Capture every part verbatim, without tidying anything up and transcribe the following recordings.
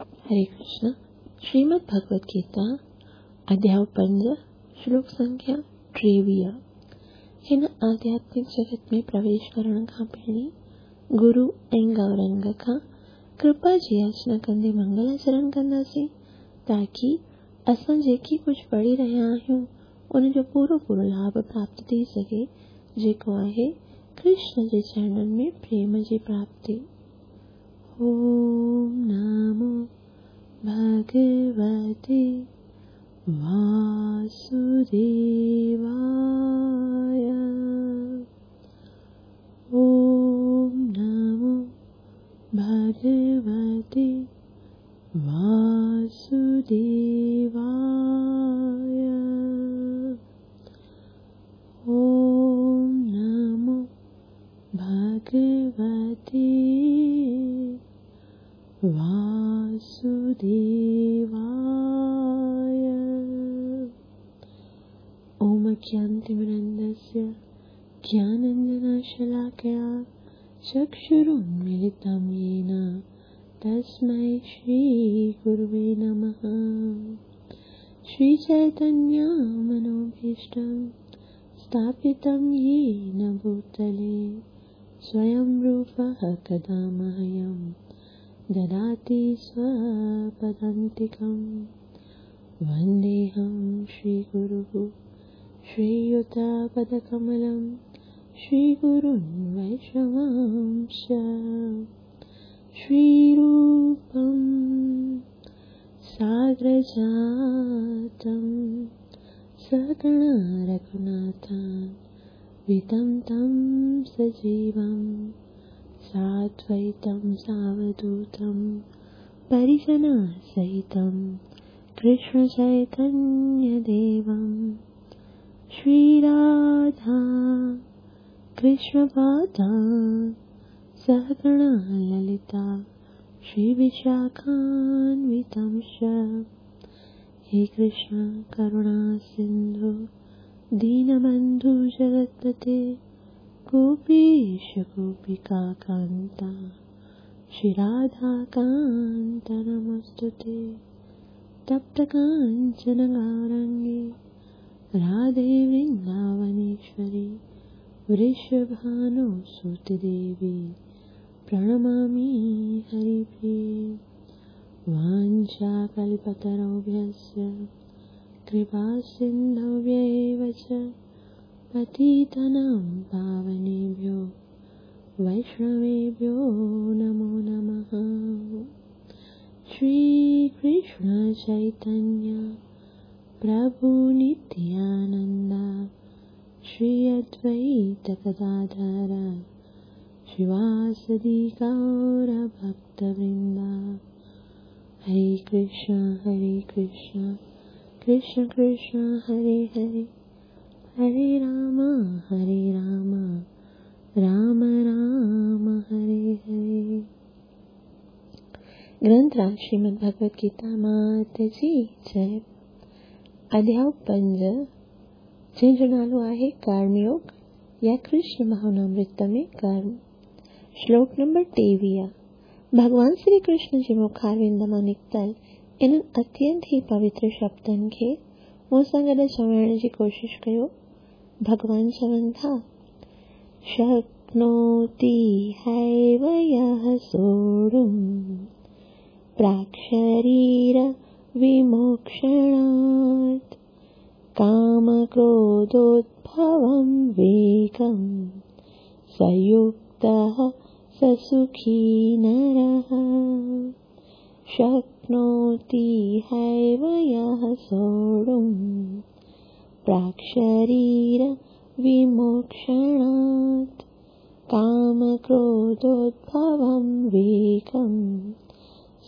हरे कृष्ण। श्रीमद् भगवत गीता अध्याय पंज श्लोक संख्या टेवीह। हिन आध्यात्मिक जगत में प्रवेश करण खां पहिरीं गुरु ऐं गौरंग खां कृपा जी याचना कंदे मंगलाचरण कंदासीं, ताकी असां जेकी कुझु पढ़ी रहिया आहियूं उनजो पूरो पूरो लाभ प्राप्त थी सघे, जेको आहे कृष्ण जे चरणनि में प्रेम जी प्राप्ति। ओम नमो भगवते वासुदेवाय। ओम नमो भगवते वासुदेवाय। ओम नमो भगवते वासुदेवाय। ओम अज्ञानतिमिरन्धस्य ज्ञानाञ्जनशलाकया चक्षुरुन्मीलितं येन तस्मै श्रीगुरुवे नमः। श्रीचैतन्यमनोभीष्टं स्थापितं येन भूतले स्वयं रूपः कदा मह्यं ददाति स्वपदान्तिकं। वन्देऽहं श्रीगुरुः श्रीयुतपदकमलं श्रीगुरुन् वैष्णवांश्च। श्रीरूपं साग्रजातं सकणा रघुनाथान्वितं तं सजीवं साद्वैतं सावधूतं परिजनसहितं कृष्णचैतन्यदेवं। श्रीराधा कृष्णपादान् सहगणा ललिता श्रीविशाखान्वितं च। हे कृष्ण करुणा सिन्धु दीनबन्धु जगत्पते गोपीश गोपिकान्ता श्रीराधाकान्त नमोऽस्तुते। तप्तकाञ्चन गौरङ्गे राधे वृन्दावनेश्वरी वृषभानुसुते देवी प्रणमामि हरिप्रिये। वाञ्छाकल्पतरुभ्यश्च कृपासिन्धुभ्य एव च पतितानां पावनेभ्यो वैष्णवेभ्यो नमो नमः। श्रीकृष्ण चैतन्य प्रभु नित्यानंद श्री अद्वैत गदाधर श्रीवासदि गौर भक्तवृंद। हरे कृष्ण हरे कृष्ण कृष्ण कृष्ण हरे हरे, हरे राम हरे राम राम राम हरे हरे। ग्रंथराज श्रीमद् भगवत गीता मात जी जय। अध्याय पंज जंहिंजो नालो आहे कर्मयोग या कृष्ण भावनामृत में कर्म। श्लोक नंबर टेवीह। भगवान श्री कृष्ण जे मुखारविंद मां निकितल इन्हनि अत्यंत ई पवित्र शब्दनि खे मूं सां गॾु चवण जी कोशिश कयो। भगवान चवनि था, शक्नोति हैव यः सोढुं प्राक्शरीर विमोक्षणात् कामक्रोधोद्भवं वेगं सयुक्तः स सुखी नरः। शक्नोति हैव यः सोढुं प्राक्शरीर विमोक्षणात् कामक्रोधोद्भवं वेगं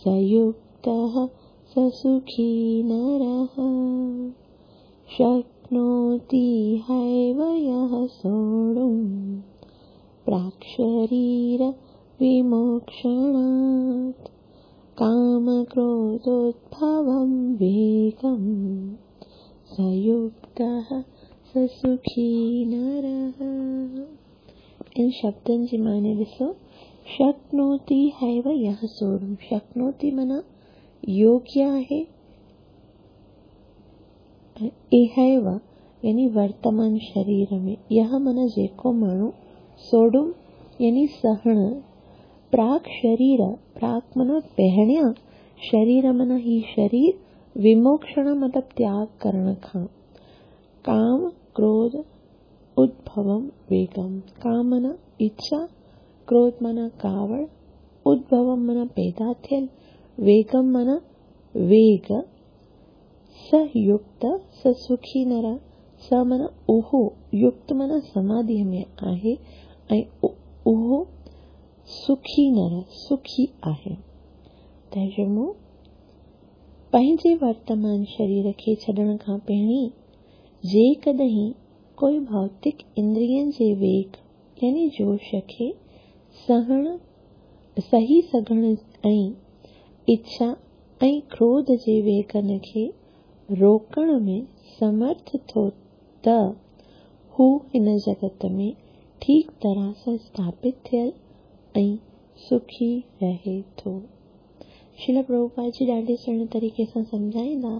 सयुक्तः स सुखी नरः। शक्नोति हैव यः सोढुं प्राक्शरीर विमोक्षणात् कामक्रोधोद्भवं वेगं सयुक्तः स सुखी नरः। इन शब्दनि जी माने ॾिसो, शक्नोति हैव यः सोढुं। शक्नोति माना योग्य आहे इहैव यानी वर्तमान शरीर में। यह माना जेको माण्हू सोडुम यानी सहण, प्राक शरीर, प्राक माना पहिरियां, शरीर माना ही शरीर, विमोक्षण मतलब त्याग करण खां, काम क्रोध उद्भवम वेगम, काम माना इच्छा, क्रोध माना कावड़, उद्भवम माना पैदा थियल, वेगम माना वेग, सयुक्त स सुखी नर, स माना उहो, युक्त माना समाधि में आहे ऐं उहो सुखी नर सुखी आहे। तर्जुमो पंहिंजे वर्तमान शरीर खे छॾण खां पहिरीं जेकॾहिं कोई भौतिक इंद्रियनि जे वेग यानी जोश खे सहण सही सघण ऐं इच्छा ऐं क्रोध जे वेगनि खे रोकण में समर्थ थो त हू हिन जगत में ठीक तरह सां स्थापित थियल ऐं सुखी रहे थो। श्रील प्रभुपाद जी ॾाढे सुहिणे तरीक़े सां सम्झाईंदा।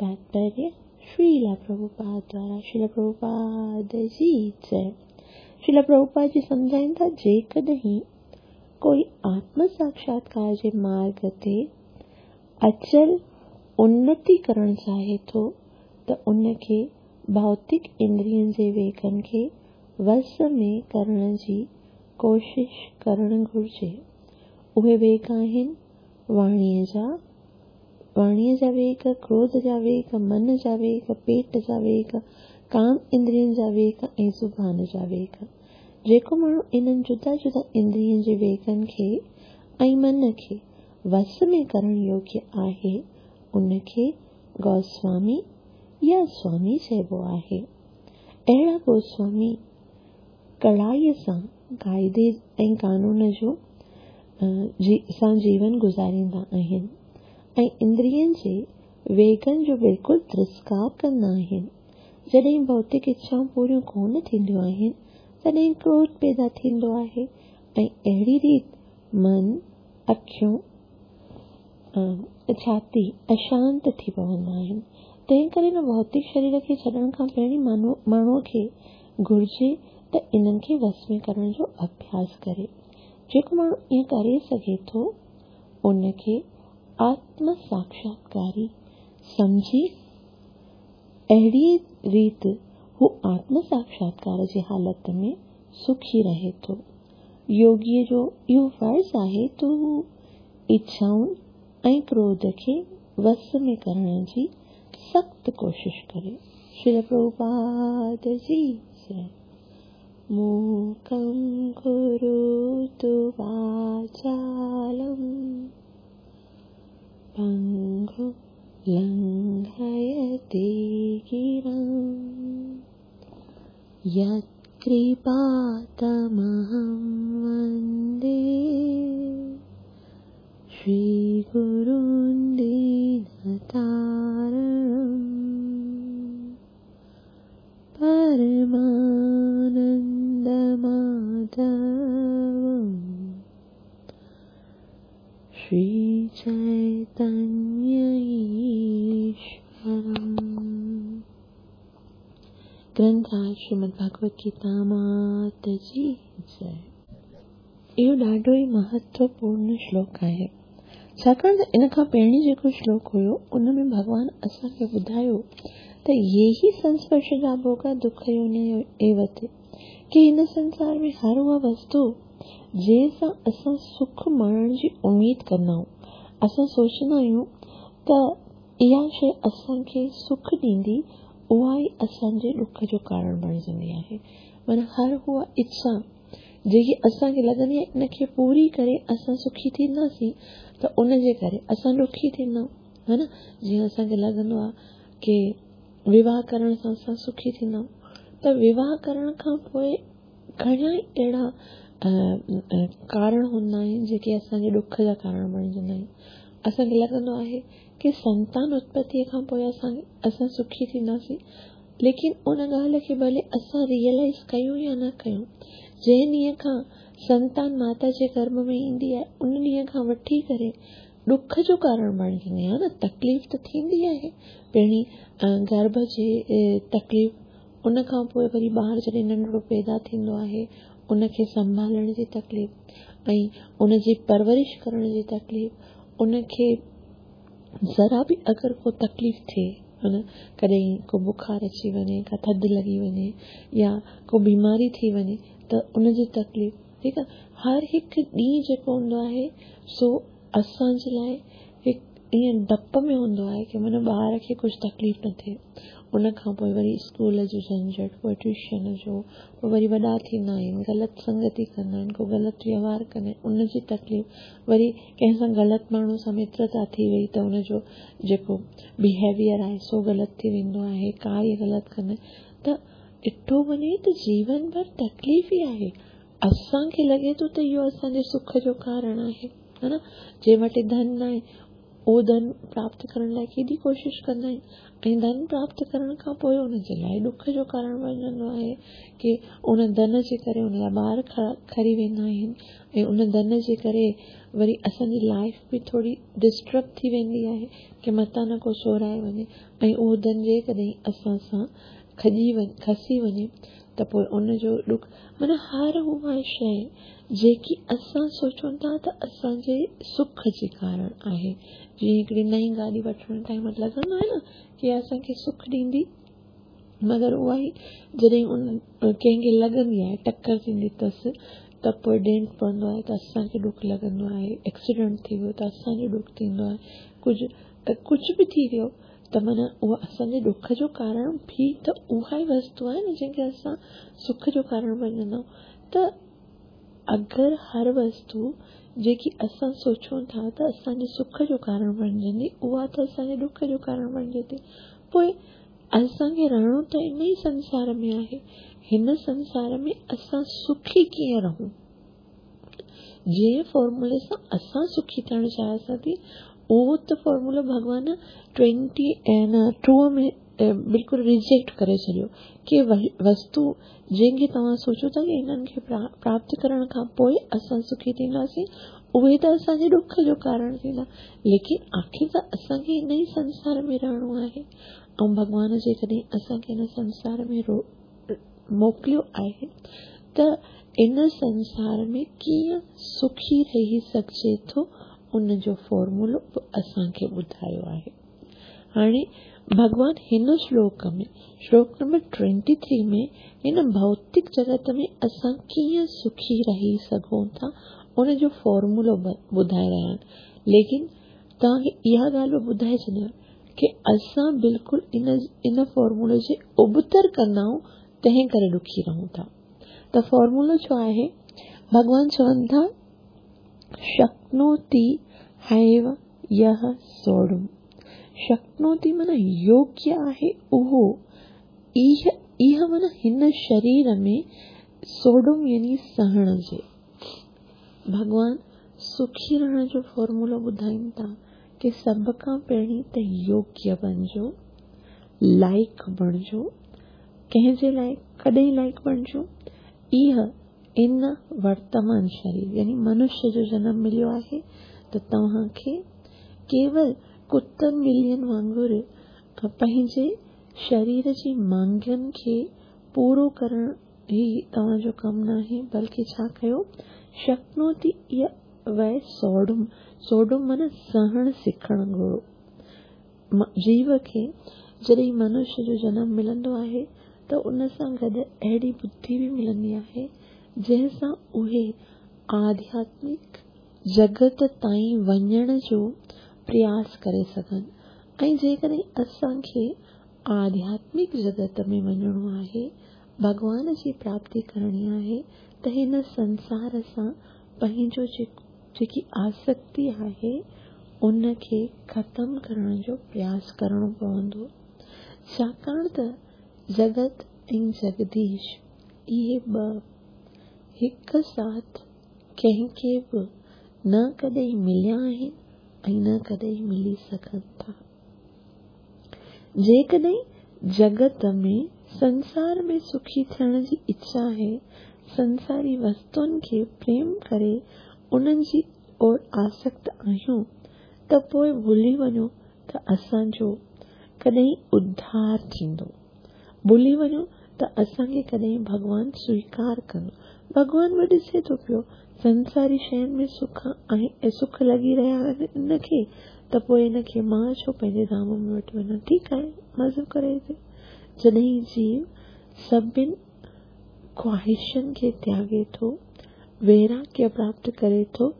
तात्पर्य श्रील प्रभुपाद द्वारा श्रील प्रभुपाद जी जय। श्रील प्रभुपाद जी सम्झाईंदा जेकॾहिं कोई आत्म साक्षात्कार जे मार्ग ते अचल उन्नति करण चाहे थो त उनखे भौतिक इंद्रियनि जे वेगनि खे वस में करण जी कोशिश करण घुर्जे। उहे वेग आहिनि वाणीअ जा, वाणीअ जा वेग, क्रोध जा वेग, मन जा वेग, पेट जा वेग, काम इंद्रियनि जा वेग ऐं ज़ुबान जा वेग। जेको माण्हू इन्हनि जुदा जुदा इंद्रियनि जे वेगनि खे ऐं मन खे वस में करण योग्य आहे उनखे गोस्वामी या स्वामी चइबो आहे। अहिड़ा गोस्वामी कड़ाईअ सां क़ाइदे ऐं कानून जो जी सां जीवन गुज़ारींदा आहिनि ऐं इंद्रियनि जे वेगनि जो बिल्कुलु तिरस्कार कंदा आहिनि। जॾहिं भौतिक इच्छाऊं पूरियूं कोन थींदियूं आहिनि तॾहिं क्रोध पैदा थींदो आहे ऐं अहिड़ी रीति मन, अखियूं, छाती अशांत थी पवंदा आहिनि। तंहिं करे न भौतिक शरीर खे छॾण खां पहिरीं माण्हूअ खे घुर्जे त इन्हनि खे वस में करण जो अभ्यास करे। जेको माण्हू ईअं करे सघे थो उनखे आत्म साक्षात्कारी सम्झी अहिड़ी रीति हू आत्म साक्षात्कार जी हालत में सुखी रहे थो। योगीअ जो इहो फ़र्ज़ आहे त हू इच्छाउनि ऐं क्रोध खे वस में करण जी सख़्तु कोशिश करे। श्रील प्रभुपाद जी जय। मूकं करोतु वाचालं पङ्गुं लङ्घयते गिरिं यत्कृपातमहं वन्दे श्रीगुरुं दीनतारणं परमानन्दमाधवं श्रीचैतन्य ईश्वरम्। ग्रंथराज श्रीमद् भागवत गीता मात जी जय। इहो ॾाढो ई महत्वपूर्ण श्लोक आहे, छाकाणि त इन खां पहिरीं जेको श्लोक हुयो उन में भॻवान असांखे ॿुधायो त ये ही संस्पर्श जा भोगा दुख योनि एव ते, की हिन संसार में हर उहा वस्तु जंहिंसां असां सुख माणण जी उमेद कंदा आहियूं, असां सोचंदा आहियूं त इहा शइ असांखे सुख ॾींदी, उहा ई असांजे ॾुख जो कारण बणिजंदी आहे। माना हर उहा इच्छा जेकी असांखे लॻंदी आहे इनखे पूरी करे असां सुखी थींदासीं त उनजे करे असां ॾुखी थींदा आहियूं, हा न। जीअं असांखे लॻंदो आहे की विवाह करण सां असां सुखी थींदा आहियूं, त विवाह करण खां पोइ घणा ई अहिड़ा कारण हूंदा आहिनि जेके असांजे ॾुख जा कारण बणिजंदा आहिनि। असांखे लॻंदो आहे की संतान उत्पत्तीअ खां पोइ असां असां सुखी थींदासीं, लेकिन उन ॻाल्हि खे भले असां रियलाइज़ कयूं या न कयूं, जंहिं ॾींहं खां संतान माता जे गर्भ में ईंदी आहे उन ॾींहं खां वठी करे ॾुख जो कारण बणिजंदी आहे न, तकलीफ़ त थींदी आहे। पहिरीं गर्भ जी तकलीफ़, उन खां पोइ वरी ॿार जॾहिं नंढड़ो पैदा थींदो आहे उनखे संभालण जी तकलीफ़ ऐं उनजी परवरिश करण जी तकलीफ़, उनखे ज़रा बि अगरि को तकलीफ़ थिए, है कॾहिं को बुखार अची वञे, का थधि लॻी वञे या को बीमारी थी वञे त उनजी तकलीफ़, ठीकु आहे। हर हिकु ॾींहुं जेको हूंदो आहे सो असांजे लाइ हिकु ईअं डपु में हूंदो आहे की माना ॿार खे कुझु तकलीफ़ न थिए। उन खां पोइ वरी स्कूल जो झंझट, पोइ ट्यूशन जो, पोइ वरी वॾा थींदा आहिनि, ग़लति संगति कंदा आहिनि, को ग़लति व्यवहार कंदा आहिनि, उनजी तकलीफ़, वरी कंहिंसां ग़लति माण्हू सां मित्रता थी वई त उनजो जेको बिहेवियर आहे सो ग़लति थी वेंदो आहे, कार्य ग़लति कंदा आहिनि। त ॾिठो वञे त जीवन भरि तकलीफ़ ई आहे। असांखे लॻे थो त इहो असांजे सुख जो कारण आहे, है न। जंहिं वटि धन आहे उहो धन प्राप्त करण लाइ केॾी कोशिश कंदा आहिनि ऐं धन प्राप्त करण खां पोइ उनजे लाइ ॾुख जो कारण बणिजंदो आहे की उन धन जे करे उनजा ॿार खरी वेंदा आहिनि ऐं उन धन जे करे वरी असांजी लाइफ बि थोरी डिस्टर्ब थी वेंदी आहे की मतां न को चोराए वञे ऐं उहो धन जेकॾहिं असां सां खॼी वञे, खसी वञे त पोइ उनजो ॾुख, माना हर उहा शइ जेकी असां सोचूं था त असांजे सुख जे कारण आहे। जीअं हिकिड़ी नई गाॾी वठण टाइम लॻंदो आहे न की असांखे सुख ॾींदी, मगर उहा ई जॾहिं उन कंहिंखे लॻंदी आहे, टक्कर थींदी अथसि त पोइ डेंट पवंदो आहे त असांखे ॾुख लॻंदो आहे, एक्सीडेंट थी वियो त असांजो ॾुख थींदो आहे, कुझु कुझु बि थी वियो त माना उहा असांजे ॾुख जो कारण बि त उहा ई वस्तु आहे न जंहिंखे असां सुख जो कारण बणजंदा आहियूं। त अगरि हर वस्तु जेकी असां सोचूं था त असांजे सुख जो कारण बणिजंदी, उहा त असांजे ॾुख जो कारण बणिजे थी। पोइ असांखे रहणो त इन ई संसार में आहे, हिन संसार में असां सुखी कीअं रहूं? जंहिं फॉर्मूले सां असां सुखी थियणु चाहियासीं थी उहो त फॉर्मूलो भॻवान ट्वेंटी ऐं टू में बिल्कुलु रिजेक्ट करे छॾियो की वस्तु जंहिंखे तव्हां सोचो था की हिननि खे प्राप्त करण खां पोइ असां सुखी थींदासीं, उहे त असांजे ॾुख जो कारण थींदा, लेकिन आख़िर त असांखे हिन ई संसार में रहणो आहे ऐं भॻवान जेकॾहिं असांखे हिन संसार में रो मोकिलियो आहे त इन संसार में कीअं सुखी रही सघिजे थो उन जो फॉर्मूलो बि असांखे ॿुधायो आहे। हाणे भॻवान हिन श्लोक में, श्लोक नंबर ट्वेंटी थ्री में, हिन भौतिक जगत में असां कीअं सुखी रही सघूं था उनजो फॉर्मूलो ॿुधाए रहिया आहिनि। लेकिन तव्हांखे इहा ॻाल्हि बि ॿुधाए छॾियां की असां बिल्कुलु इन इन फॉर्मूले जे उबतर कंदा आहियूं, तंहिं करे ॾुखी रहूं था। त फॉर्मूलो छा आहे? भॻवान चवनि था शक्नोति हैव यह सोढुम। शक्नोति माना योग्य आहे उहो, इह इह माना हिन शरीर में, सोढुम यानी सहण जे। भॻवान सुखी रहण जो फॉर्मूलो ॿुधाइनि था की सभ खां पहिरीं त योग्य बणिजो, लाइक़ बणिजो। कंहिंजे लाइ? कॾहिं लाइक़ बणिजो? इह इन वर्तमान शरीर यानी मनुष्य जो जनम मिलियो आहे त तव्हांखे केवल कुतनि ॿिलियुनि वांगुरु पंहिंजे शरीर जी मांगनि खे पूरो करणु ई तव्हांजो कमु न आहे, बल्कि छा कयो? शक्नोति वै सोढुम। सोढुम माना सहण सिखणु घुरो। जीव खे जॾहिं मनुष्य जो जनम मिलंदो आहे त उन सां गॾु अहिड़ी बुद्धि बि मिलंदी आहे जंहिंसां उहे आध्यात्मिक जगत ताईं वञण जो प्रयास करे सघनि। ऐं जेकॾहिं असांखे आध्यात्मिक जगत में वञिणो आहे, भॻवान जी प्राप्ति करणी आहे, त हिन संसार सां पंहिंजो जेकी आसक्ति आहे उनखे ख़तमु करण जो प्रयास करिणो पवंदो। छाकाणि त जगत ऐं जगदीश इहे ॿ हिक साथ कंहिंखे बि न कॾहिं मिलिया आहिनि ऐं न कॾहिं मिली सघनि था। जेकॾहिं जगत में संसार में सुखी थियण जी इच्छा आहे, संसारी वस्तुनि खे प्रेम करे उन्हनि जी ओर आसक्त आहियूं त पोइ भुली वञो त असांजो कॾहिं उद्धार थींदो, भुली वञो त असांखे कॾहिं भॻवान स्वीकार कंदो। भॻवान बि ॾिसे थो पियो संसारी शयुनि में सुख आहे, सुख लॻी रहिया आहिनि इनखे, त पोइ इनखे मां छो पंहिंजे धाम में वठी वञा? ठीकु आहे, मज़ो करे हिते। जॾहिं जीव सभिनि ख़्वाहिशनि खे त्यागे थो, वैराग्य प्राप्त करे थो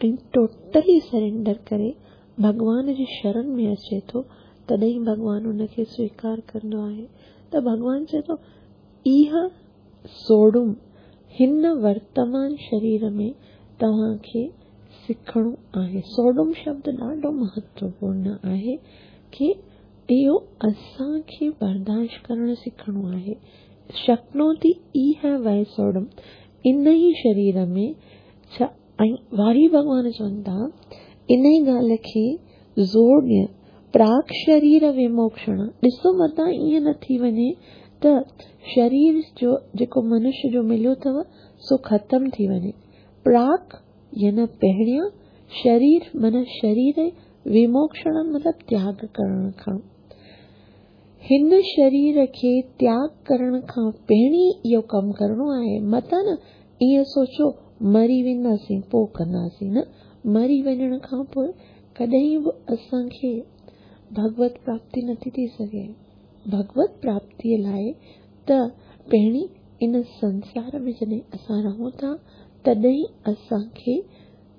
ऐं टोटली सरेंडर करे भॻवान जी शरण में अचे थो, तॾहिं भॻवान उनखे स्वीकार कंदो आहे। त भॻवान चए थो, इहा सोड़ुम हिन वर्तमान शरीर में तव्हांखे सिखणो आहे। सोड़ुम शब्द ॾाढो महत्वपूर्ण आहे की इहो असांखे बर्दाश्त करणु सिखणो आहे। शक्नोति इह वै सोड़ुम, इन ई शरीर में छा। ऐं वारी भॻवान चवनि था इन ई ॻाल्हि खे ज़ोर ॾियण, प्राक शरीर विमोक्षण। ॾिसो मतां ईअं न थी वञे त शरीर जो जेको मनुष्य जो मिलियो अथव सो ख़तमु थी वञे। प्राक यानी पहिरियां, शरीर माना शरीर, विमोक्षण मतिलबु त्याग करण खां। हिन शरीर खे त्याग करण खां पहिरीं इहो कमु करिणो आहे। मतां न ईअं सोचो मरी वेंदासीं पोइ कंदासीं, न, मरी वञण खां पोइ कॾहिं बि असांखे भगवत प्राप्ति नथी थी सघे। भगवत प्राप्तीअ लाइ त पहिरीं इन संसार में जॾहिं असां रहूं था तॾहिं असांखे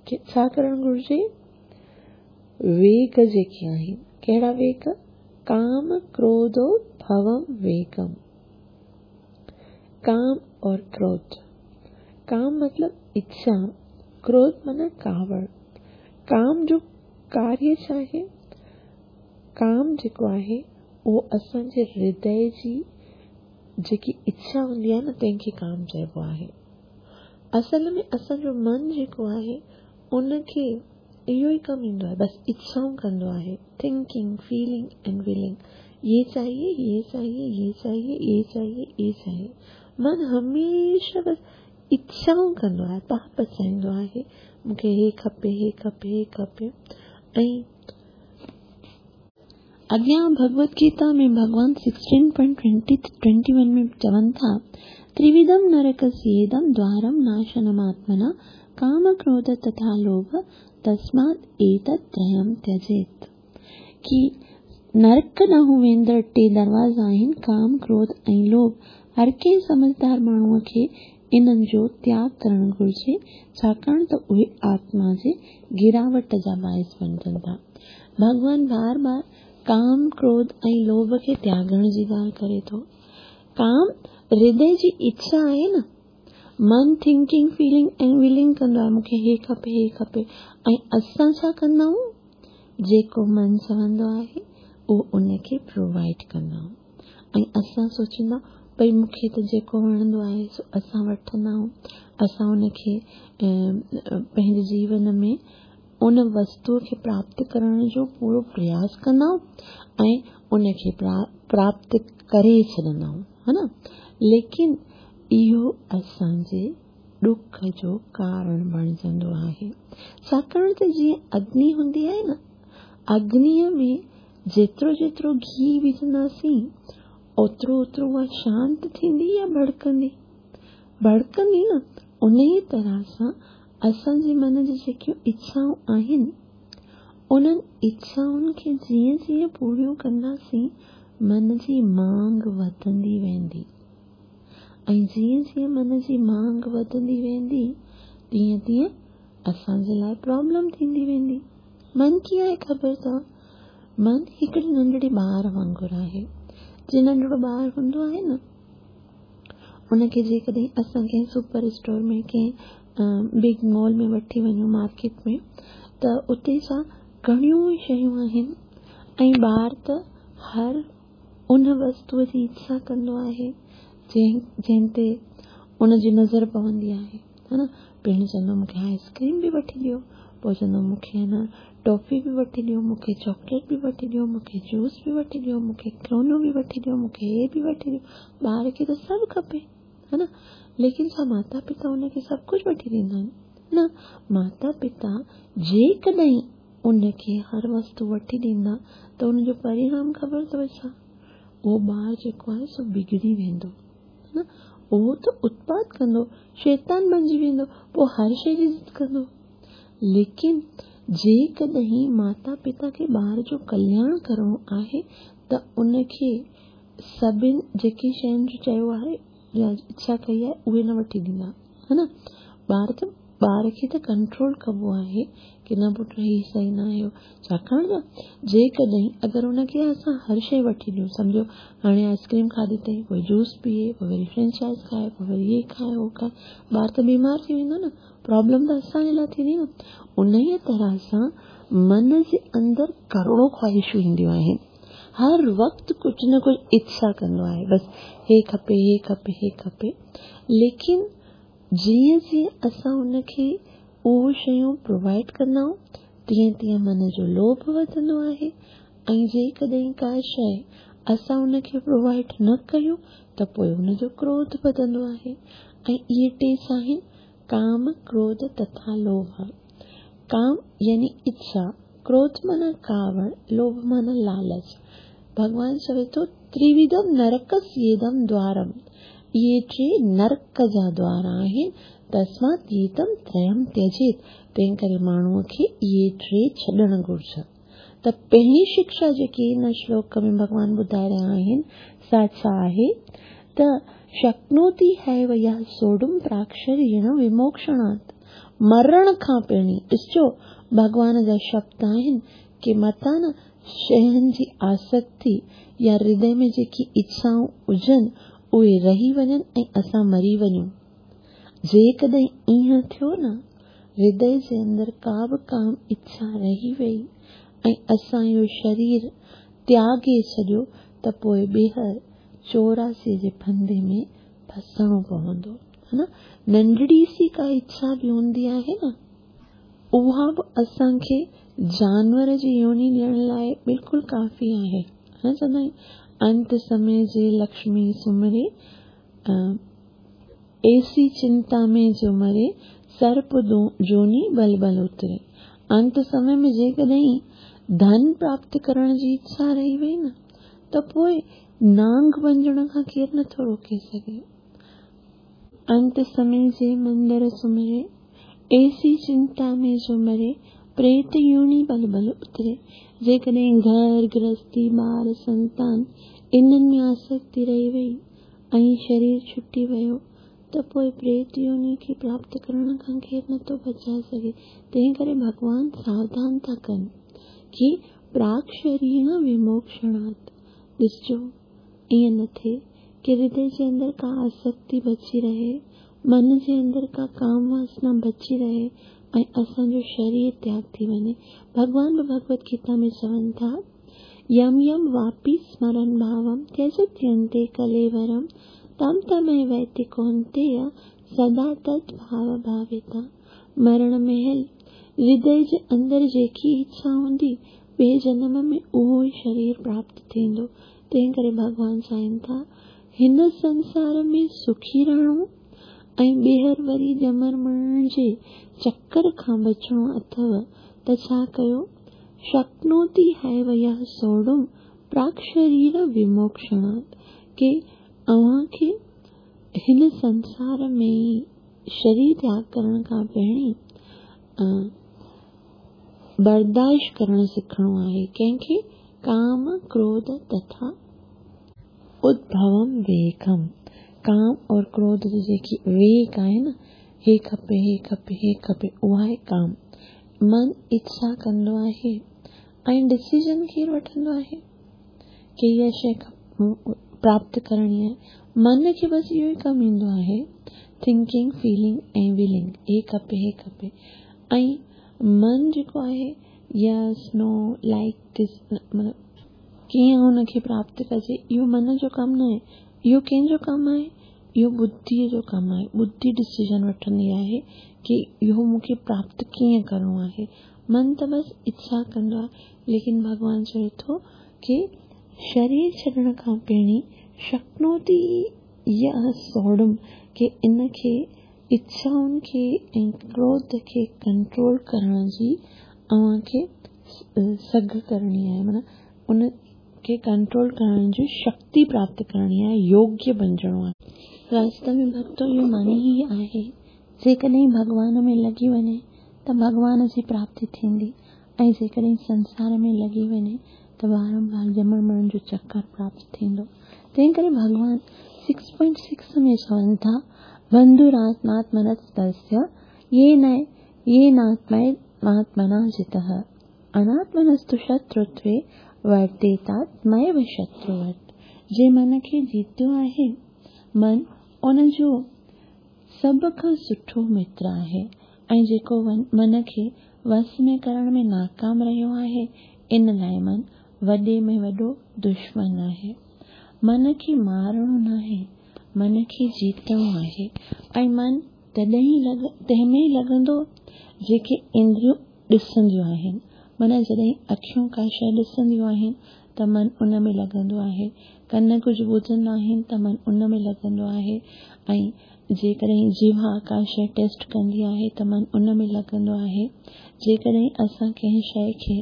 छा करणु घुरिजे? वेग जेके आहिनि, कहिड़ा वेग? काम क्रोधो भवम वेगम। काम और क्रोध, काम मतलब इच्छा, क्रोध माना कावड़। काम जो कार्य छा आहे, काम जेको आहे उहो असांजे हृदय जी जेकी इच्छा हूंदी आहे न तंहिंखे काम चइबो आहे। असल में असांजो मन जेको आहे उनखे इहो ई कमु ईंदो आहे, बसि इच्छाऊं कंदो आहे, थिंकिंग, फीलिंग एंड विलिंग, ये चाहिए, ये चाहिए, ये चाहिए, ये चाहिए, ये चाहिए। मन हमेशह बसि इच्छाऊं कंदो आहे, पाप चाहींदो आहे, मूंखे हे खपे, हे खपे, हे खपे। ऐं अॻियां भगवत गीता में भॻवान sixteen point twenty twenty one में चवनि था, त्रिविधम नरकस्येदं द्वारं नाशनमात्मना काम क्रोध तथा लोभ तस्मात् एतत् त्रयं त्यजेत्। की नरक ॾांहुं वेंदड़ टे दरवाज़ा आहिनि, काम, क्रोध ऐं लोभ। हर कंहिं समझदार माण्हूअ खे इन्हनि जो त्याग करणु घुरिजे, छाकाणि त उहे आत्मा जे गिरावट जा बाइस बणिजनि था। भॻवान बार बार काम, क्रोध ऐं लोभ खे त्यागण जी ॻाल्हि करे थो। काम हृदय जी इच्छा आहे न, मन थिंकिंग, फीलिंग ऐं विलिंग कंदो आहे, मूंखे हे खपे, हे खपे। ऐं असां छा कंदा आहियूं? जेको मन चवंदो आहे उहो उनखे प्रोवाइड कंदा आहियूं। ऐं असां सोचींदा भई मूंखे त जेको वणंदो आहे सो असां वठंदा आहियूं, असां उनखे पंहिंजे जीवन में उन वस्तूअ खे प्राप्त करण जो पूरो प्रयास कंदा आहियूं ऐं उनखे प्राप्त करे छॾंदा आहियूं, हा न। लेकिन इहो असांजे ॾुख जो कारण बणिजंदो आहे, छाकाणि त जीअं अग्नि हूंदी आहे न, अग्निअ में जेतिरो जेतिरो घी विझंदासीं ओतिरो ओतिरो उहा शांत थींदी या भड़कंदी? भड़कंदी न। उन ई तरह सां असांजे मन जी जेकियूं इच्छाऊं आहिनि उन्हनि इच्छाउनि खे जीअं जीअं पूरियूं कंदासीं मन जी मांग वधंदी वेंदी, ऐं जीअं जीअं मन जी मांग वधंदी वेंदी तीअं तीअं असांजे लाइ प्रॉब्लम थींदी वेंदी। मन कीअं आहे ख़बर अथव? मन हिकिड़ी नंढड़ी ॿार वांगुरु आहे। जीअं नंढड़ो ॿार हूंदो आहे न, उनखे जेकॾहिं असां कंहिं सुपर स्टोर में, कंहिं बिग मॉल में वठी वञूं, मार्केट में, त उते छा घणियूं शयूं आहिनि ऐं ॿार त हर उन वस्तूअ जी इच्छा कंदो आहे जंहिं जंहिं ते उनजी नज़र पवंदी आहे, हा न। पहिरीं चवंदो मूंखे आइसक्रीम बि वठी ॾियो, पोइ चवंदो मूंखे न टॉफ़ी बि वठी ॾियो, मूंखे चॉकलेट बि वठी ॾियो, मूंखे जूस बि वठी ॾियो, मूंखे खिलौनो बि वठी ॾियो, मूंखे हे बि वठी ॾियो। ॿार खे त सभु खपे, हा न। लेकिन छा माता पिता उनखे सभु कुझु वठी ॾींदा आहिनि? न। माता पिता जेकॾहिं उनखे हर वस्तु वठी ॾींदा त उनजो परिणाम ख़बर अथव छा? उहो ॿार जेको आहे सो बिगड़ी वेंदो, न उहो त उत्पात कंदो, शैतान बणिजी वेंदो, पोइ हर शइ जी ज़िद कंदो। लेकिन जेकॾहिं माता पिता खे ॿार जो कल्याण करिणो आहे त उनखे सभिनि जेकी शयुनि जो चयो आहे या इच्छा कई आहे उहे न वठी ॾींदा, हा न। ॿार त ॿार खे त कंट्रोल कबो आहे की न पुट हीअ सही न आहे, छाकाणि त जेकॾहिं अगरि उनखे असां हर शइ वठी ॾियूं, सम्झो हाणे आइसक्रीम खाधी अथई, पोइ जूस पीए, पोइ वरी फ्रेंच फ्राइज़ खाए, पोइ वरी हे खाए हो खाए, ॿार त बीमार थी वेंदो न, प्रॉब्लम त असांजे लाइ थींदी न। उन ई तरह सां मन जे अंदरि करोड़ों ख़्वाहिशूं ईंदियूं आहिनि, हर वक़्तु कुझु न कुझु इच्छा कंदो आहे, बसि हे खपे हे खपे हे खपे। लेकिन जीअं जीअं असां उनखे उहो शयूं प्रोवाइड कंदा आहियूं तीअं तीअं मन जो लोभ वधंदो आहे, ऐं जेकॾहिं का शइ असां उनखे प्रोवाइड न कयूं त पोइ उनजो क्रोध वधंदो आहे। ऐं इहे टे आहिनि काम, क्रोध तथा लोभ। काम यानी इच्छा, क्रोध माना कावड़, लोभ माना लालच। भॻवान चवे थो त्रिविधम नरकस्येदम द्वारम, इहे टे नरक जा द्वार आहिनि, तस्मात् एतम त्रयम त्यजेत। तंहिं करे माण्हूअ खे इहे टे छॾणु घुर्जनि। त पहिरीं शिक्षा जेकी हिन श्लोक में भॻवान ॿुधाए रहिया आहिनि सा छा आहे त शक्नोति हैव यः सोढुम प्राक्षरेण विमोक्षणात्। मरण खां पहिरीं ॾिसजो भॻवान जा शब्द आहिनि की मतां न शयुनि जी आसक्ति या हृदय में जेकी इच्छाऊं हुजनि उहे रही वञनि ऐं असां मरी वञूं। जेकॾहिं ईअं थियो न, हृदय जे अंदरि का बि काम इच्छा रही वई ऐं असां इहो शरीर त्यागे छॾियो त पोइ ॿीहर चौरासी जे फंदे में फसणो पवंदो, हा न। नंढड़ी सी का इच्छा बि हूंदी आहे न, उहा बि असांखे जानवर जी योनि ॾियण लाइ बिल्कुलु काफ़ी आहे, हा न। चवंदा आहियूं अंत समय जे लक्ष्मी सुमरे, ऐसी चिंता में जो मरे, सर्प जोनी बल बल उतरे। अंत समय में जेकॾहिं धन प्राप्त करण जी इच्छा रही वई न त पोइ नांग बणिजण खां केरु नथो रोके सघे। अंत समय जे मंदर सुमरे, ऐसी चिंता में जो मरे, प्रेत योनि बल बल उतरे। जेकॾहिं घर, गृहस्थी, ॿार, संतान इन्हनि में आसक्ति रही वई ऐं शरीर छुटी वियो त पोइ प्रेत योनि खे प्राप्त करण खां केरु नथो बचाए सघे। तंहिं करे भॻवान सावधान था कनि की प्राक शरीर विमोक्षणात्। ॾिसजो ईअं न थिए की हृदय जे अंदरि का आसक्ति बची रहे, मन जे अंदरि का काम वासना बची रहे ऐं असांजो शरीर त्याग थी वञे। भॻवान बि भगवत गीता में चवनि था, यम यम वापि स्मरन् भावं त्यजत्यन्ते कलेवरं तम तमेवैति कौन्तेय सदा तत् भाव भाविता। मरण महिल हृदय जे अंदरि जेकी इच्छा हूंदी ॿिए जनम में उहो ई शरीर प्राप्त थींदो। तंहिं करे भॻवान चाहिनि था हिन संसार में सुखी रहणो ऐं ॿीहर वरी ॼमण मरण जे चक्कर खां बचिणो अथव त छा कयो, शक्नोति हैव यः सोढुम प्राक् शरीर विमोक्षणात्। की अव्हांखे हिन संसार में ई शरीर त्याग करण खां पहिरीं बर्दाश्त करणु सिखणो आहे। कंहिंखे? काम, क्रोध तथा उद्भवम वेगम। काम और क्रोध जो जेकी वेग आहे न, हे खपे हे खपे हे खपे, उहा आहे काम। मन इच्छा कंदो आहे ऐं डिसीजन केरु वठंदो आहे की इहा शइ प्राप्त करणी आहे। मन खे बसि इहो ई कमु ईंदो आहे, थिंकिंग, फीलिंग ऐं विलिंग, हे खपे हे खपे। ऐं मन जेको आहे यस, नो, लाइक this, मतिलबु कीअं हुनखे प्राप्त कजे, इहो मन जो कमु न आहे। इहो कंहिंजो कमु आहे? इहो बुद्धीअ जो कमु आहे। बुद्धि डिसीजन वठंदी आहे की इहो मूंखे प्राप्त कीअं करिणो आहे। मन त बसि इच्छा कंदो आहे, लेकिन भॻवान चवे थो की शरीर छॾण खां पहिरीं शक्नोति यः सोढुम, की इनखे इच्छाउनि खे ऐं क्रोध खे कंट्रोल करण जी अव्हांखे सघ करणी आहे, माना उन खे कंट्रोल करण जी शक्ति प्राप्त करणी आहे, योग्य बणिजणो आहे। वास्तव में भक्तो इहो माने ई आहे, जेकॾहिं भॻवान में लॻी वञे त भॻवान जी प्राप्ति थींदी ऐं जेकॾहिं संसार में लॻी वञे त बारंबार ॼमण मरण जो चक्कर प्राप्त थींदो। तंहिं करे भॻवान सिक्स पॉइंट सिक्स में चवनि था, बंधुरात्मात्मनस्तस्य ये न ये नात्मना जितः अनात्मनस्तु शत्रुत्वे वर्तेतात्मैव शत्रुवत्। जे मन खे जीतियो आहे, मन उन जो सभ खां सुठो मित्र आहे ऐं जेको मन खे वस में करण में नाकाम रहियो आहे, इन लाइ मन वॾे में वॾो दुश्मन आहे। मन खे मारणो नाहे, मन खे जीतणो आहे। ऐं मन तॾहिं लॻ तंहिं में ई लॻंदो जेके इंद्रियूं ॾिसंदियूं आहिनि। माना जॾहिं अखियूं का शइ ॾिसंदियूं आहिनि त मन उन में लॻंदो आहे, कन कुझु ॿुधंदा आहिनि त मन उन में लॻंदो आहे, ऐं जेकॾहिं जिहा का शइ टेस्ट कंदी आहे त मन उन में लॻंदो आहे। जेकॾहिं असां कंहिं शइ खे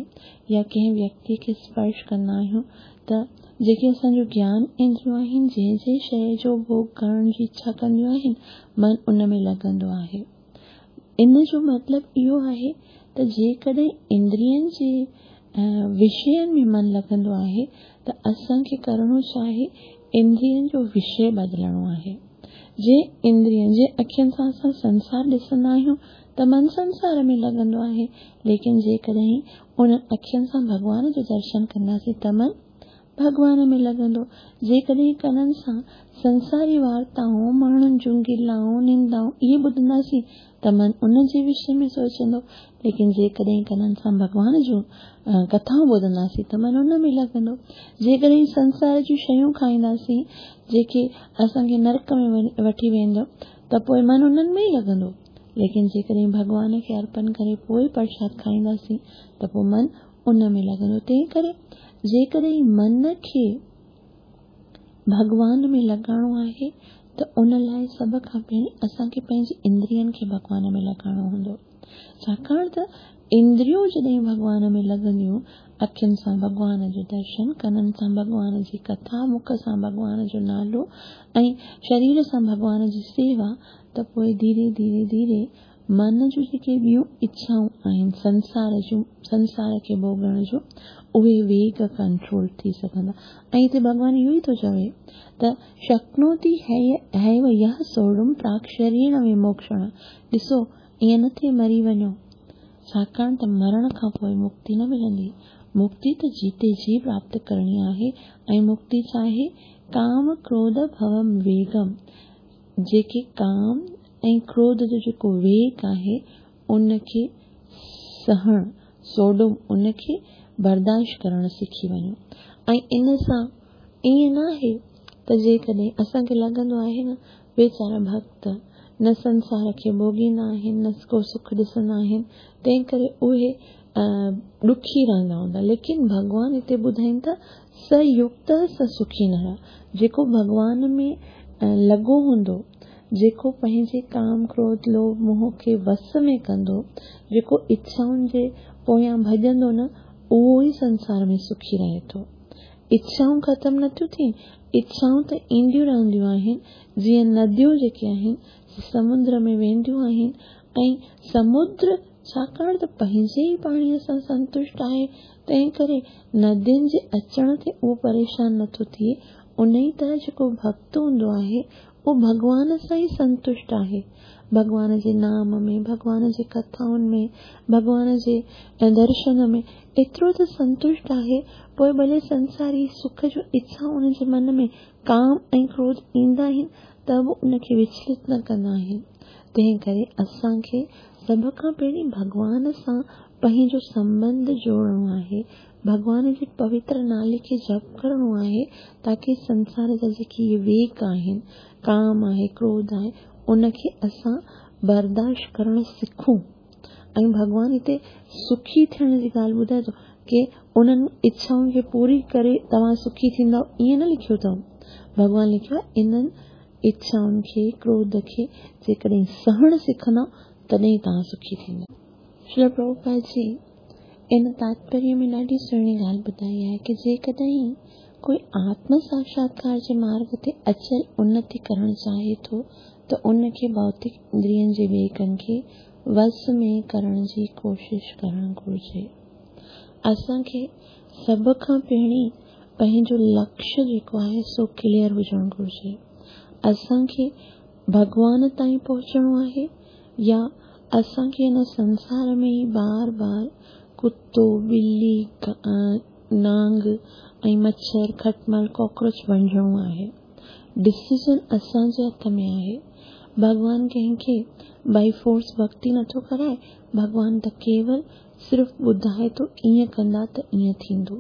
या कंहिं व्यक्ति खे स्पर्श कंदा आहियूं त जेके असांजो ज्ञान इंद्रियूं आहिनि, जंहिं जंहिं शइ जो भोग करण जी इच्छा कंदियूं आहिनि, मन उन में लॻंदो आहे। इन जो मतिलबु इहो आहे त जेकॾहिं इंद्रियनि जे विषयनि में मन लॻंदो आहे त असांखे करिणो छा आहे, इंद्रियनि जो विषय बदिलणो आहे। जे इंद्रियनि जे अखियुनि सां असां संसार ॾिसंदा आहियूं त मन संसार में लॻंदो आहे, लेकिन जेकॾहिं उन अखियुनि सां भॻवान जो दर्शन कंदासीं त मन भॻवान में लॻंदो। जेकॾहिं कननि सां संसारी वार्ताऊं, माण्हुनि जूं गिलाऊं, निंदाऊं इहे ॿुधंदासीं त मन उन जे विषय में सोचंदो, लेकिन जेकॾहिं कननि सां भॻवान जूं कथाऊं ॿुधंदासीं त मन उन में लॻंदो। जेकॾहिं संसार जूं शयूं खाईंदासीं जेके असांखे नरक में वठी वेंदो त पोइ मन उन्हनि में ई लॻंदो, लेकिन जेकॾहिं भॻवान खे अर्पण करे पोइ प्रसाद खाईंदासीं त पोइ मन उन में लॻंदो। तंहिं करे जेकॾहिं मन खे भॻवान में लॻाइणो आहे त उन लाइ सभ खां पहिरीं असांखे पंहिंजी इंद्रियनि खे भॻवान में लॻाइणो हूंदो, छाकाणि त इंद्रियूं जॾहिं भॻवान में लॻंदियूं, अखियुनि सां भॻवान जो दर्शन, कननि सां भॻवान जी कथा, मुख सां भॻवान जो नालो ऐं शरीर सां भॻवान जी सेवा, त पोइ धीरे धीरे धीरे मन जूं जेके ॿियूं इच्छाऊं आहिनि संसार जूं, संसार खे भोगण जो, उहे वेग कंट्रोल थी सघंदा। ऐं हिते भॻवान इहो ई थो चवे त शक्नोति हैव यः सोढुं प्राक् शरीर विमोक्षण। ॾिसो ईअं न थिए मरी वञो, छाकाणि त मरण खां पोइ मुक्ति न मिलंदी। मुक्ति त जीते जी प्राप्त करणी आहे ऐं मुक्ति छा आहे? काम क्रोध भवम वेगम, जेके काम ऐं क्रोध जो जेको वेग आहे उनखे सहण, सोडुम, उनखे बर्दाश्त करण सिखी वञो। ऐं इन सां ईअं न आहे त जेकॾहिं असांखे लॻंदो आहे न वीचारा भक्त न संसार खे भोगींदा आहिनि न को सुख ॾिसंदा आहिनि, तंहिं करे उहे ॾुखी रहंदा हूंदा, लेकिन भॻवान हिते ॿुधाइनि था स युक्त स सुखी नर, जेको भॻवान में लॻो हूंदो, जेको पंहिंजे काम क्रोध लोभ मोह खे वस में कंदो, जेको इच्छाउनि जे पोयां भॼंदो न, उहो ई संसार में सुखी रहे थो। इच्छाऊं ख़तमु नथियूं थियनि, इच्छाऊं त ईंदियूं रहंदियूं आहिनि, जीअं नदियूं जेके आहिनि समुंद्र में वेंदियूं आहिनि ऐं समुद्र छाकाणि त पंहिंजे ई पाणीअ सां संतुष्ट आहे, तंहिं करे नदियुनि जे अचण ते उहो परेशान नथो थिए। उन ई तरह जेको भक्त हूंदो आहे उहो भॻवान सां ई संतुष्ट आहे, भॻवान जे नाम में, भॻवान जे कथाउनि में, भॻवान जे दर्शन में एतिरो त संतुष्ट आहे, पोइ भले संसारी सुख जो इच्छा उनजे मन में काम ऐं क्रोध ईंदा आहिनि त बि उनखे विचलित न कंदा आहिनि। तंहिं करे असांखे सभ खां पहिरीं भॻवान सां पंहिंजो संबंध जोड़णो आहे, भॻवान जे पवित्र नाले खे जप करिणो आहे, ताकी संसार जा जेके इहे वेग आहिनि, काम आहे, क्रोध आहे, उनखे असां बर्दाश्त करणु सिखूं। ऐं भॻवान हिते सुखी थियण जी ॻाल्हि ॿुधाए थो की उन्हनि इच्छाउनि खे पूरी करे तव्हां सुखी थींदव, ईअं न लिखियो अथऊं। भॻवान लिखियो आहे इन्हनि इच्छाउनि खे, क्रोध खे जेकॾहिं सहणु सिखंदव तॾहिं तव्हां सुखी थींदव। श्री प्रभुपाद जी इन तात्पर्य में ॾाढी सुहिणी ॻाल्हि ॿुधाई आहे की जेकॾहिं कोई आत्म साक्षात्कार जे मार्ग ते अचल उन्नति करणु चाहे थो त उनखे भौतिक इंद्रियनि जे वेगनि खे वश में करण जी कोशिश करणु घुरिजे। असांखे सभ खां पहिरीं पंहिंजो लक्ष्य जेको आहे सो क्लियर हुजणु घुरिजे। असांखे भॻवान ताईं पहुचणो आहे या असांखे हिन संसार में ई बार बार कुत्तो, बिल्ली, नांग ऐं मच्छर, खटमल, कॉकरोच बणिजणो आहे। डिसीजन असांजे हथ में आहे। भॻवान कंहिंखे बाई फोर्स भक्ति नथो कराए, भॻवान त केवल सिर्फ़ ॿुधाए थो ईअं कंदा त ईअं थींदो।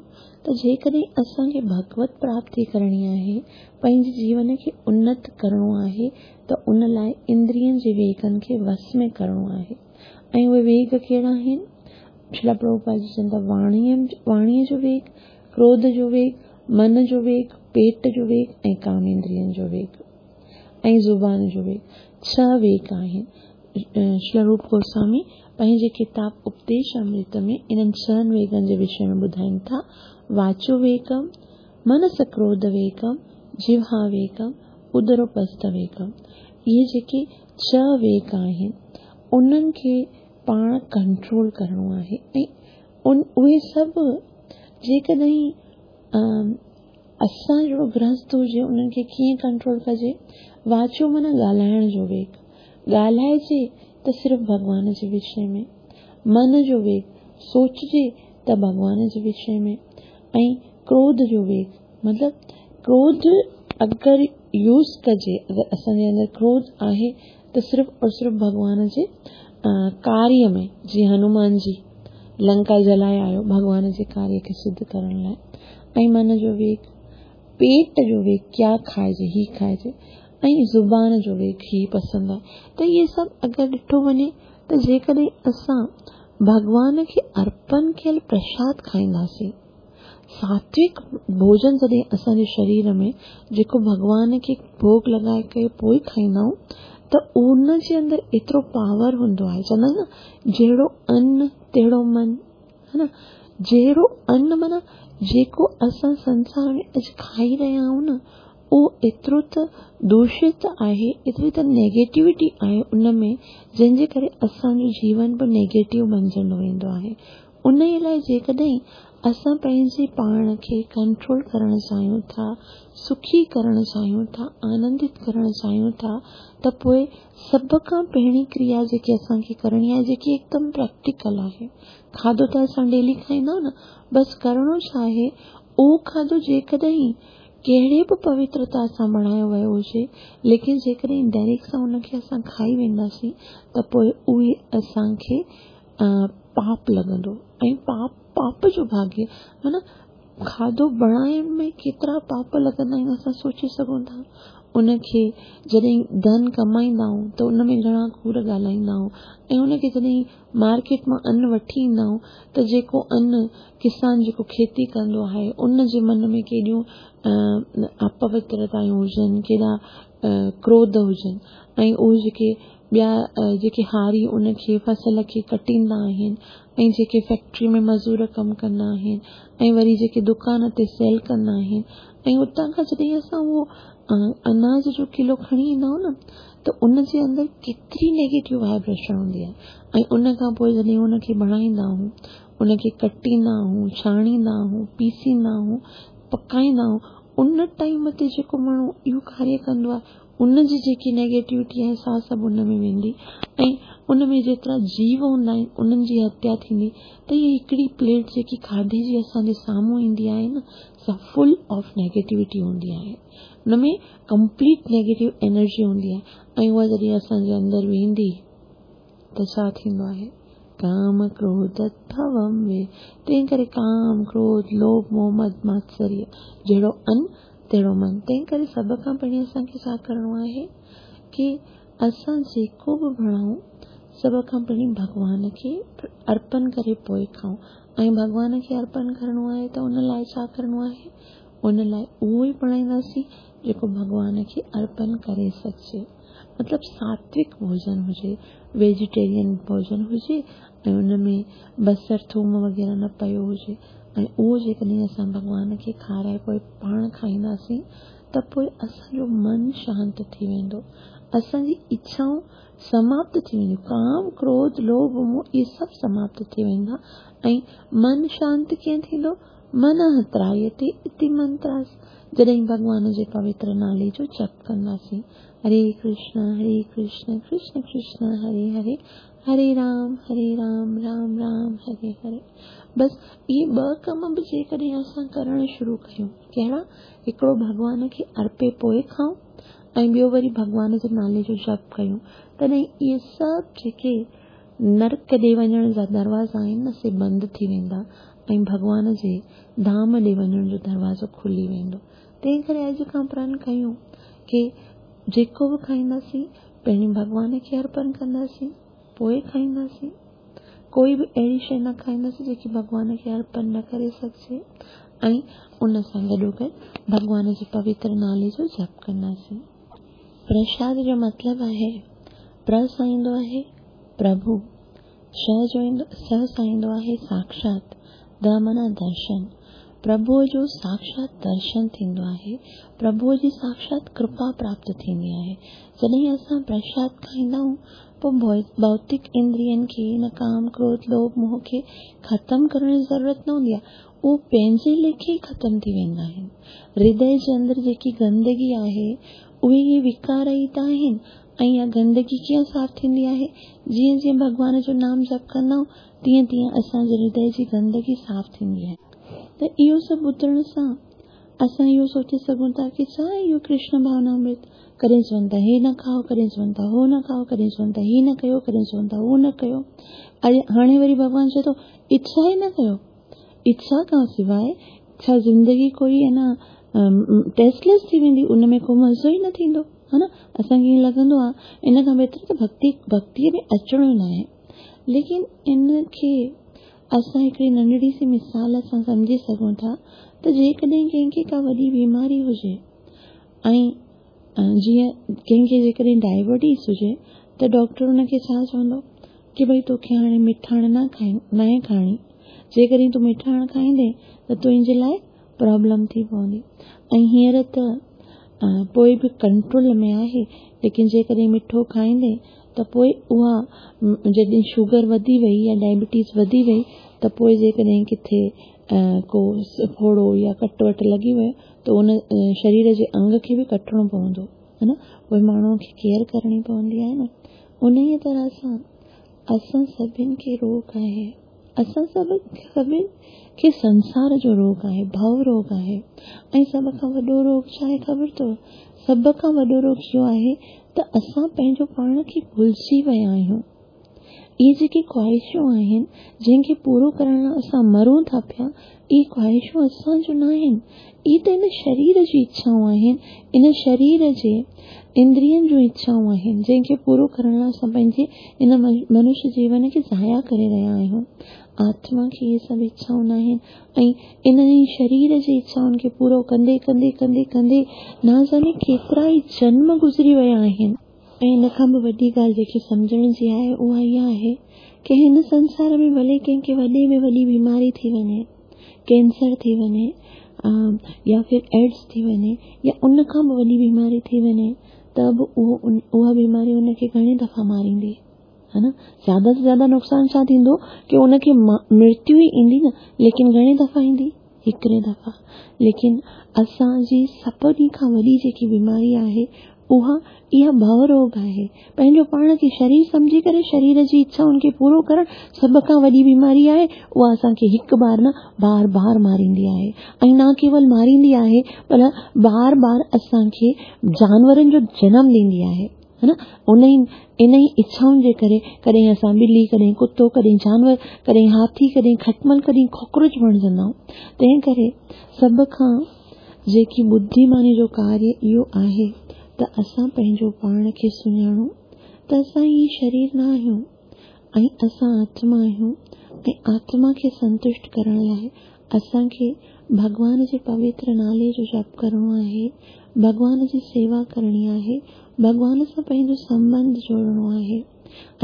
त जेकॾहिं असांखे भगवत प्राप्ति करणी आहे, पंहिंजे जीवन खे उन्नत करिणो आहे त उन लाइ इंद्रियनि जे वेगनि खे वश में करिणो आहे। ऐं उहे वेग कहिड़ा आहिनि? श्रील प्रभुपाद जी चवनि था वाणीअ वाणीअ जो वेग, क्रोध जो वेग, मन जो वेग, पेट जो वेग ऐं काम इंद्रियनि जो वेग ऐं ज़ुबान जो वेग। छह वेग आहिनि। श्रील रूप गोस्वामी पंहिंजे किताब उपदेश अमृत में इन्हनि छहनि वेगनि जे विषय में ॿुधाइनि था। वाचो वेगम, मनस क्रोध वेगम, जिह्वा वेगम, उदरोपस्थ वेगम। इहे जेके छह वेग आहिनि उन्हनि खे पाण कंट्रोल करिणो आहे ऐं उन उहे सभु जेकॾहिं असां जहिड़ो गृहस्थ हुजे उन्हनि खे कीअं कंट्रोल कजे? वाचो माना ॻाल्हाइण जो वेग, ॻाल्हाइजे त सिर्फ़ भॻवान जे विषय में। मन जो वेग, सोचिजे त भॻवान जे विषय में। ऐं क्रोध जो वेग, मतिलबु क्रोध अगरि यूज़ कजे, अगरि असांजे अंदरि क्रोध आहे त सिर्फ़ और सिर्फ़ भॻवान जे कार्य में, जीअं हनुमान जी लंका जलाए आयो भॻवान जे कार्य खे सिद्ध करण लाइ। ऐं मन जो वेग, पेट जो वेग, क्या खाइजे, ही खाइजे, ऐं ज़ुबान जो वेग, ही पसंदि आहे। त इहे सभु अगरि ॾिठो वञे त जेकॾहिं असां भॻवान खे अर्पण कयल प्रसाद खाईंदासीं, सात्विक भोजन जॾहिं असांजे शरीर में जेको भॻवान खे भोग लॻाए करे पोइ खाईंदा आहियूं त उन जे अंदरि एतिरो पावर हूंदो आहे। चवंदा आहिनि न, जहिड़ो अन्न तहिड़ो मन, है न। जहिड़ो अन्न माना जेको असां संसार में अॼु खाई रहिया आहियूं न, उहो एतिरो त दूषित आहे, एतिरी त नेगेटिविटी आहे उन में, जंहिंजे करे असांजो जीवन बि नेगेटिव बणिजंदो वेंदो आहे। उन लाइ जेकॾहिं असां पंहिंजे पाण खे कंट्रोल करणु चाहियूं था, सुखी करणु चाहियूं था, आनंदित करणु चाहियूं था, त पोइ सभ खां पहिरीं क्रिया जेकी असांखे करणी आहे, जेकी एकदम प्रैक्टिकल आहे। खाधो त असां डेली खाईंदा आहियूं न, बसि करिणो छा आहे, उहो खाधो जेकॾहिं कहिड़े बि पवित्रता सां बणायो वियो हुजे, लेकिन जेकॾहिं डायरेक्ट सां उनखे असां खाई वेंदासीं त पोइ उहे असांखे पाप लॻंदो। ऐं पाप पाप जो भाग्य माना खाधो बणाइण में केतिरा पाप लॻंदा आहिनि असां सोचे सघूं था। उनखे जॾहिं धन कमाईंदा आहियूं त उन में घणा कूड़ ॻाल्हाईंदा आहियूं, ऐं उनखे जॾहिं मार्केट मां अन्न वठी ईंदा आहियूं त जेको अन्न किसान जेको खेती कंदो आहे उन जे मन में केॾियूं अपवित्रतायूं हुजनि, केॾा क्रोध हुजनि, ऐं उहे जेके ॿिया जेके हारी उनखे फसल खे कटींदा आहिनि, ऐं जेके फैक्ट्री में मज़ूर कमु कंदा आहिनि, ऐं वरी जेके दुकान ते सेल कंदा आहिनि, ऐं उतां खां जॾहिं असां उहो अनाज जो किलो खणी ईंदा आहियूं न, त उन जे अंदरि केतिरी नेगेटिव वाइब्रेशन हूंदी आहे। ऐं उन खां पोइ जॾहिं उनखे बणाईंदा आहियूं, उनखे कटींदा आहियूं, छाणींदा आहियूं, पीसींदा आहियूं, पकाईंदा आहियूं, उन टाइम ते जेको माण्हू इहो कार्य कंदो आहे उन जी जेकी नेगेटिविटी आहे सा सभु उन में वेंदी, ऐं उन में जेतिरा जीव हूंदा आहिनि उन्हनि जी हत्या थींदी। त इहा हिकिड़ी प्लेट जेकी खाधे जी असांजे साम्हूं ईंदी आहे न, सा फुल ऑफ नेगेटिविटी हूंदी आहे, उन में कंप्लीट नेगेटिव एनर्जी हूंदी आहे। ऐं उहा जॾहिं असांजे अंदरि वेंदी त छा थींदो आहे? काम क्रोध भवम वे। तंहिं करे काम, क्रोध, लोभ, मोह, मद, मात्सर्य, जहिड़ो अन्न तहिड़ो मन। तंहिं करे सभ खां पहिरीं असांखे छा करिणो आहे की असां जेको बि बणाऊं सभ खां पहिरीं भॻवान खे अर्पण करे पोइ खाऊं। ऐं भॻवान खे अर्पण करिणो आहे त उन लाइ छा करिणो आहे? उन लाइ उहो ई बणाईंदासीं जेको भॻवान खे अर्पण करे सघिजे, मतिलबु सात्विक भोजन हुजे, वेजिटेरियन भोजन हुजे ऐं उन में बसर थूम वग़ैरह न पियो हुजे ऐं उहो जेकॾहिं असां भॻवान खे खाराए पोइ पाण खाईंदासीं त पोइ असांजो मन शांत थी वेंदो, असांजी इच्छाऊं समाप्त थी वेंदियूं, काम क्रोध लोभ मोह इहे सभु समाप्त थी वेंदा ऐं मन शांत कीअं थींदो? मन त्रायते इति मंत्रास, जॾहिं भॻवान जे पवित्र नाले जो जप कंदासीं। हरे कृष्ण हरे कृष्ण कृष्ण कृष्ण हरे हरे, हरे राम हरे राम राम राम हरे हरे। बसि इहे ॿ कम बि जेकॾहिं असां करणु शुरू कयूं, कहिड़ा? हिकिड़ो भॻवान खे अर्पे पोइ खाऊं ऐं ॿियो वरी भॻवान जे नाले जो जप कयूं, तॾहिं इहे सभु जेके नरक ॾे वञण जा दरवाज़ा आहिनि न, से बंदि थी वेंदा ऐं भॻवान जे धाम ॾे वञण जो दरवाज़ो खुली वेंदो। तंहिं करे अॼु खां प्रण कयूं की जेको बि खाईंदासीं पहिरीं भॻवान खे अर्पण कंदासीं, पोइ खाईंदासीं। कोई बि अहिड़ी शइ न खाईंदासीं जेकी भॻवान खे अर्पण न करे सघिजे ऐं उन सां गॾोगॾु भॻवान जे पवित्र नाले जो जप कंदासीं। प्रसाद जो मतिलबु आहे, प्र सां ईंदो आहे प्रभु, श जो ईंदो स सां ईंदो आहे साक्षात, the माना दर्शन। प्रभुअ जो साक्षात दर्शन थींदो आहे, प्रभुअ जी साक्षात कृपा प्राप्त थींदी आहे। जॾहिं असां प्रसाद खाईंदा आहियूं पोइ भौतिक इंद्रियनि खे, न काम क्रोध लोभ मोह खे ख़तमु करण जी ज़रूरत न हूंदी आहे, उहो पंहिंजे लेखे ई ख़तमु थी वेंदा आहिनि। हृदय जे अंदरि जेकी गंदगी आहे उहे इहे विकार ई त आहिनि ऐं इहा गंदगी कीअं साफ़ थींदी आहे? जीअं जीअं भॻवान जो नाम जप कंदा आहियूं तीअं तीअं असांजे हृदय जी गंदगी साफ़ थींदी आहे। त इहो सभु ॿुधण सां असां इहो सोचे सघूं था की छा इहो कृष्ण भावनामृत? कॾहिं चवनि था हे न खाओ, कॾहिं चवनि था हो न खाओ, कॾहिं चवनि था ही न कयो, कॾहिं चवनि था हो न कयो। अरे हाणे वरी भॻवान चए थो इच्छा ई न कयो। इच्छा खां सवाइ छा ज़िंदगी कोई है न टेस्टलेस थी वेंदी, उन में को मज़ो ई न थींदो, है न? असांखे ईअं लॻंदो आहे इन खां बहितर त भक्ति भक्तीअ में अचिणो ई न आहे। लेकिन इन खे असां हिकिड़ी नंढड़ी सी मिसाल सां सम्झी सघूं था त जेकॾहिं कंहिंखे का वॾी बीमारी हुजे ऐं जीअं कंहिंखे जेकॾहिं डायबिटीज़ हुजे त डॉक्टर हुनखे छा चवंदो की भई तोखे हाणे मिठाण न खाई न खाइणी, जेकॾहिं तूं मिठाण खाईंदे त तुंहिंजे लाइ प्रॉब्लम थी पवंदी। ऐं हींअर त पोइ बि कंट्रोल में आहे, लेकिन जेकॾहिं मिठो खाईंदे त पोइ उहा जॾहिं शुगर वधी वई या डायबिटीज़ वधी वई त पोइ जेकॾहिं किथे को फोड़ो या कट what लॻी वियो त उन शरीर जे अंग खे बि कटणो पवंदो, है न? पोइ माण्हूअ खे केयर करणी पवंदी आहे न। उन ई तरह सां असां सभिनि खे रोग आहे, असां सभ सभिनि खे संसार जो रोग आहे, भव रोग आहे। ऐं सभ खां वॾो रोग छा आहे ख़बर अथव? सभ खां वॾो रोग इहो आहे त असां पंहिंजो पाण खे भुलिजी विया आहियूं। इहे जेके ख़्वाहिशूं आहिनि जंहिंखे पूरो करण लाइ असां मरूं था पिया, इहे ख़्वाहिशूं असांजूं न आहिनि, इहे त इन शरीर जी इच्छाऊं आहिनि, इन शरीर जे इंद्रियनि जूं इच्छाऊं आहिनि जंहिंखे पूरो करण लाइ असां पंहिंजे इन मनुष्य जीवन खे ज़ाया करे रहिया आहियूं। आत्मा खे इहे सभु इच्छाऊं न आहिनि ऐं इन शरीर जी इच्छाउनि खे पूरो कंदे कंदे कंदे कंदे न ॼाणे केतिरा ई जन्म गुज़री विया आहिनि। ऐं इन खां बि वॾी ॻाल्हि जेकी सम्झण जी आहे उहा इहा आहे की हिन संसार में भले कंहिंखे वॾे में वॾी बीमारी थी वञे, कैंसर थी वञे या फिर एड्स थी वञे या उन खां बि वॾी बीमारी थी वञे त बि उहो उहा बीमारी उनखे घणे दफ़ा मारींदी, है न? ज़्यादा से ज़्यादा नुक़सानु छा थींदो की उनखे मृत्यु ई ईंदी न, लेकिन घणे दफ़ा ईंदी? हिकिड़े दफ़ा। लेकिन असांजी सभिनी खां वॾी जेकी बीमारी आहे उहा इहा भव रोग आहे। पंहिंजो पाण खे शरीर सम्झी करे शरीर जी इच्छाउनि खे पूरो करणु सभ खां वॾी बीमारी आहे। उहा असांखे हिकु बार न बार बार मारींदी आहे ऐं न केवल मारींदी आहे पर बार बार असांखे जानवरनि जो जनम ॾींदी आहे, है न? उन ई इन ई इच्छाउनि जे करे कॾहिं असां ॿिली, कॾहिं कुतो, कॾहिं जानवर, कॾहिं हाथी, कॾहिं खटमल, कॾहिं कॉकरोच बणिजंदा आहियूं। तंहिं करे सभ खां जेकी बुद्धिमानी जो कार्य इहो आहे त असां पंहिंजो पाण खे सुञाणूं त असां इहे शरीर न आहियूं ऐं असां आत्मा आहियूं ऐं आत्मा खे संतुष्ट करण लाइ असांखे भॻवान जे पवित्र नाले जो जप करिणो आहे, भॻवान जी सेवा करणी आहे, भॻवान सां पंहिंजो संबंध जोड़िणो आहे।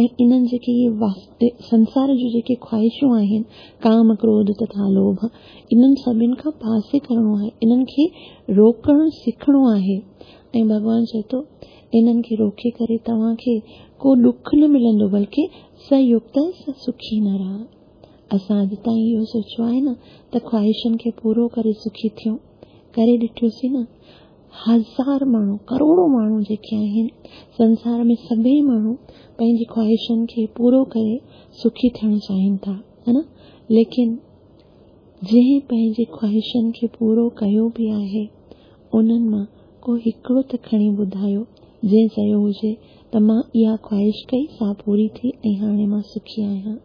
۽ انهن جيڪي اهي سنسار جون جيڪي خواهشون آهن، ڪام، ڪروڌ تٿا لوڀ، انهن سڀني کان پاسي ڪرڻو آهي، انهن کي روڪڻ سکڻو آهي. ۽ ڀڳوان چئي ٿو انهن کي روڪي ڪري توهان کي ڪو ڏک نه ملندو، بلڪه س يڪت س سکي نرهه. اسان اڄ تائين اهو سوچيو آهي نه ته خواهشن کي پورو ڪري سکي ٿيون، ڪري ڏٺوسين نه. هزار ماڻهو، ڪروڙو ماڻهو جيڪي آهن سنسار ۾، سڀئي ماڻهو پنهنجي خواهشن کي پورو ڪري سکي ٿيڻ چاهين ٿا، ها نه؟ ليڪن جنهن پنهنجي خواهشن کي پورو ڪيو به آهي، انهن مان ڪو هڪڙو ته کڻي ٻڌايو جنهن چيو هجي ته مان اها خواهش ڪئي، سا پوري ٿي ۽ هاڻي مان سکي آهيان.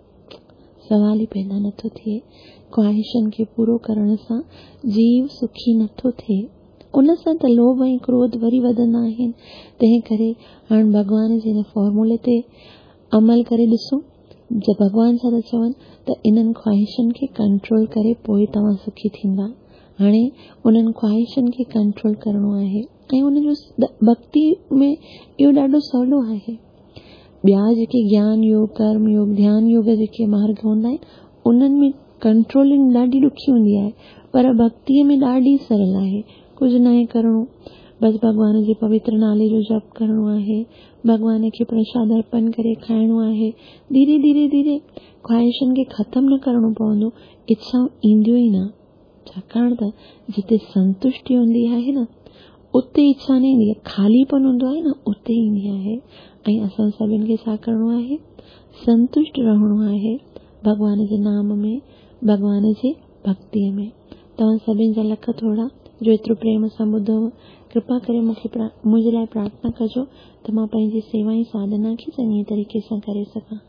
سوال ئي پيدا نٿو ٿئي. خواهشن کي پورو ڪرڻ سان جيو سکي نٿو ٿئي، ان سان ته لوڀ ۽ ڪروڌ وري وڌندا آهن. تنهن ڪري هاڻ ڀڳوان جي هن فارمولي تي عمل ڪري ڏسون. ڀڳوان ڇا ٿا چون ته انهن خواهشن کي ڪنٽرول ڪري پوءِ توهان سکي ٿيندا. هاڻي انهن خواهشن کي ڪنٽرول ڪرڻو آهي ۽ ان جو ڀڳتي ۾ اهو ڏاڍو سولو آهي. ٻيا جيڪي گيان يوگ، ڪرم يوگ، ڌيان يوگ جيڪي مارگ هوندا آهن، انهن ۾ ڪنٽرولنگ ڏاڍي ڏکي هوندي آهي، پر ڀڳتيءَ ۾ ڏاڍي سرل آهي. ڪجهه ناهي ڪرڻو، بس ڀڳوان جي پوتر نالي جو جپ ڪرڻو آهي، ڀڳوان کي پرشاد ارپڻ ڪري کائڻو آهي. ڌيري ڌيري ڌيري خواهشن کي ختم نه ڪرڻو پوندو، اڇائون اينديون ئي نه. ڇاڪاڻ ته جتي سنتشٽي هوندي آهي نه، اتي اڇا نه ايندي آهي. خاليپن هوندو آهي نه، اتي ايندي آهي. ۽ اسان سڀني کي ڇا ڪرڻو آهي؟ سنتشٽ رهڻو آهي ڀڳوان جي نام ۾، ڀڳوان جي ڀڳتيءَ ۾. توهان سڀني جا لک ٿورا جو ايترو پريم سان ٻڌو. ڪرپا ڪري مون کي منهنجي لاءِ پرارٿنا ڪجو ته مان پنهنجي سيوا ۽ ساڌنا کي چڱي طريقي سان ڪري سگهان.